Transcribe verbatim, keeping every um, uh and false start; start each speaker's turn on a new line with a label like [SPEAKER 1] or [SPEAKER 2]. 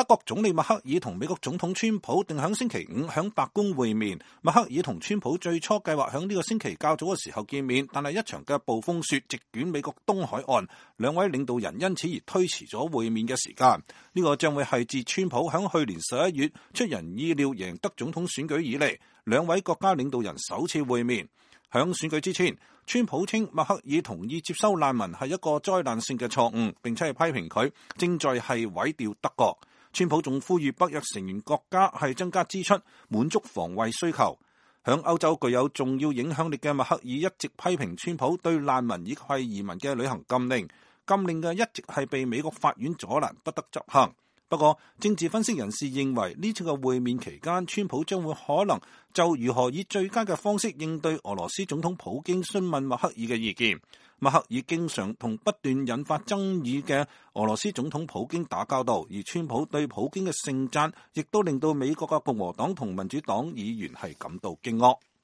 [SPEAKER 1] 國總理默克爾同美國總統川普定響星期五響白宮會面。默克爾同川普最初計劃響呢個星期較早嘅時候見面，但係一場嘅暴風雪席捲美國東海岸，兩位領導人因此而推遲咗會面嘅時間。呢個將會係自川普響去年十一月出人意料贏得總統選舉以嚟，兩位國家領導人首次會面。響選舉之前，川普稱默克爾同意接收難民係一個災難性嘅錯誤，並且係批評佢正在係毀掉德國。川普仲呼籲北約成員國家係增加支出，滿足防衛需求。響歐洲具有重要影響力嘅默克爾一直批評川普對難民以及係移民嘅旅行禁令，禁令嘅一直係被美國法院阻攔，不得執行。不過，政治分析人士認為呢次嘅會面期間，川普將會可能就如何以最佳嘅方式應對俄羅斯總統普京詢問默克爾嘅意見。默克爾經常同不斷引發爭議嘅俄羅斯總統普京打交道，而川普對普京嘅盛讚亦都令到美國嘅共和黨同民主黨議員係感到驚愕。